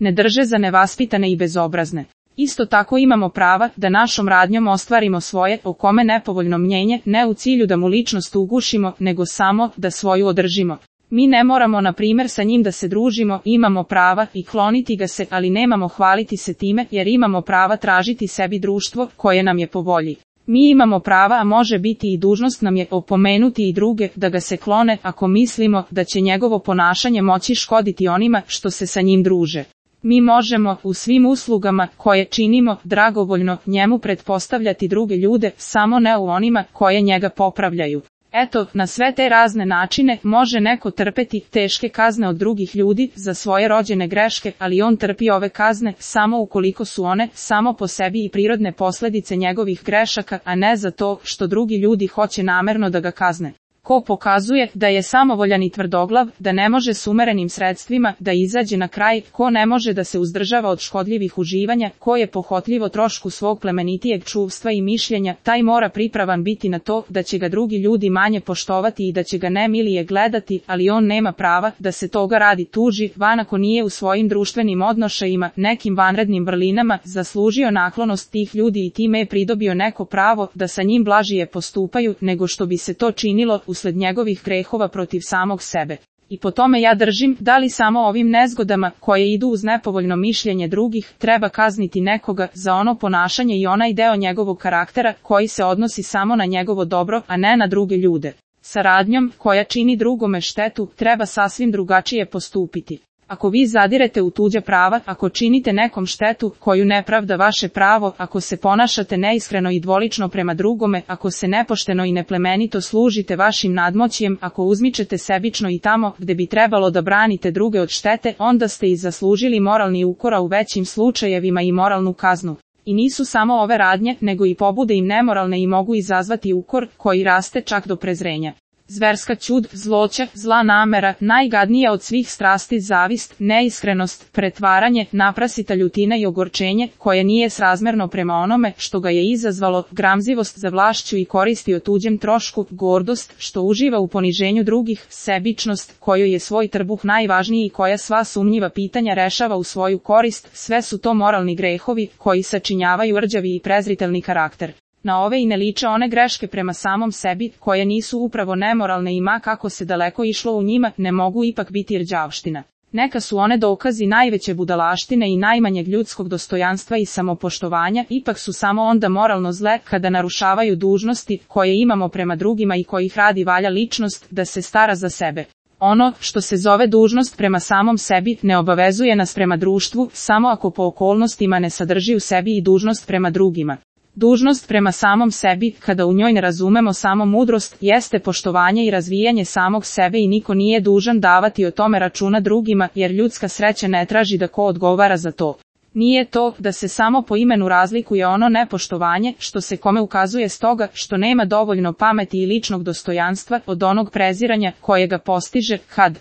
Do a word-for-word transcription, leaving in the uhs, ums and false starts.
ne drže za nevaspitane i bezobrazne. Isto tako imamo prava da našom radnjom ostvarimo svoje o kome nepovoljno mnjenje, ne u cilju da mu ličnost ugušimo, nego samo da svoju održimo. Mi ne moramo, na primjer, sa njim da se družimo, imamo prava i kloniti ga se, ali nemamo hvaliti se time, jer imamo prava tražiti sebi društvo koje nam je po volji. Mi imamo prava, a može biti i dužnost nam je opomenuti i druge da ga se klone ako mislimo da će njegovo ponašanje moći škoditi onima što se sa njim druže. Mi možemo, u svim uslugama koje činimo, dragovoljno njemu pretpostavljati druge ljude, samo ne u onima koje njega popravljaju. Eto, na sve te razne načine može neko trpeti teške kazne od drugih ljudi za svoje rođene greške, ali on trpi ove kazne samo ukoliko su one samo po sebi i prirodne posljedice njegovih grešaka, a ne za to što drugi ljudi hoće namerno da ga kazne. Ko pokazuje da je samovoljan i tvrdoglav, da ne može s umerenim sredstvima da izađe na kraj, ko ne može da se uzdržava od škodljivih uživanja, ko je pohotljivo trošku svog plemenitijeg čuvstva i mišljenja, taj mora pripravan biti na to da će ga drugi ljudi manje poštovati i da će ga nemilije gledati, ali on nema prava da se toga radi tuži, van ako nije u svojim društvenim odnošajima, nekim vanrednim vrlinama, zaslužio naklonost tih ljudi i time je pridobio neko pravo da sa njim blažije postupaju, nego što bi se to činilo usled njegovih grehova protiv samog sebe. I po tome ja držim, da li samo ovim nezgodama, koje idu uz nepovoljno mišljenje drugih, treba kazniti nekoga za ono ponašanje i onaj deo njegovog karaktera koji se odnosi samo na njegovo dobro, a ne na druge ljude. Sa radnjom, koja čini drugome štetu, treba sasvim drugačije postupiti. Ako vi zadirete u tuđa prava, ako činite nekom štetu koju ne pravda vaše pravo, ako se ponašate neiskreno i dvolično prema drugome, ako se nepošteno i neplemenito služite vašim nadmoćjem, ako uzmičete sebično i tamo gde bi trebalo da branite druge od štete, onda ste i zaslužili moralni ukor, a u većim slučajevima i moralnu kaznu. I nisu samo ove radnje, nego i pobude im nemoralne i mogu izazvati ukor koji raste čak do prezrenja. Zverska ćud, zloća, zla namera, najgadnija od svih strasti zavist, neiskrenost, pretvaranje, naprasita ljutina i ogorčenje, koje nije srazmerno prema onome što ga je izazvalo, gramzivost za vlašću i koristi o tuđem trošku, gordost, što uživa u poniženju drugih, sebičnost, kojoj je svoj trbuh najvažniji i koja sva sumnjiva pitanja rešava u svoju korist, sve su to moralni grehovi, koji sačinjavaju rđavi i prezritelni karakter. Na ove i ne liče one greške prema samom sebi, koje nisu upravo nemoralne i ma kako se daleko išlo u njima, ne mogu ipak biti rđavština. Neka su one dokazi najveće budalaštine i najmanjeg ljudskog dostojanstva i samopoštovanja, ipak su samo onda moralno zle kada narušavaju dužnosti koje imamo prema drugima i kojih radi valja ličnost da se stara za sebe. Ono što se zove dužnost prema samom sebi ne obavezuje nas prema društvu, samo ako po okolnostima ne sadrži u sebi i dužnost prema drugima. Dužnost prema samom sebi, kada u njoj ne razumemo samo mudrost, jeste poštovanje i razvijanje samog sebe i niko nije dužan davati o tome računa drugima, jer ljudska sreća ne traži da ko odgovara za to. Nije to da se samo po imenu razlikuje ono nepoštovanje, što se kome ukazuje stoga što nema dovoljno pameti i ličnog dostojanstva, od onog preziranja koje ga postiže, kad